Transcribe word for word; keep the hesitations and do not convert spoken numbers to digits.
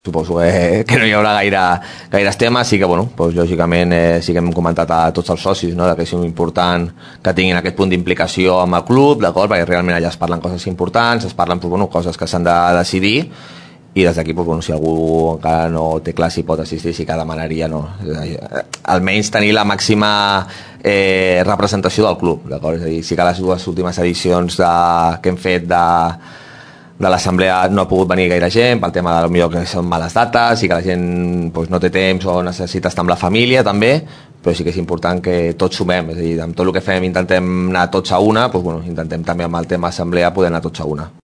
suposo que, que no hi haurà gaire, gaires temes, sí que, bueno, doncs, lògicament, eh, sí que hem comentat a tots els socis, no?, que és important que tinguin aquest punt d'implicació amb el club, d'acord?, perquè realment allà es parlen coses importants, es parlen, doncs, bueno, coses que s'han de decidir, i des d'aquí, doncs, bueno, si algú encara no té clar si pot assistir, sí que demanaria, no?, almenys tenir la màxima eh, representació del club, d'acord? És a dir, sí que les dues últimes edicions de, que hem fet de de l'assemblea no ha pogut venir gaire gent pel tema de millor que són males dates i que la gent doncs, no té temps o necessita estar amb la família també, però sí que és important que tots sumem, és a dir, amb tot el que fem intentem anar tots a una, doncs, bueno, intentem també amb el tema assemblea poder anar tots a una.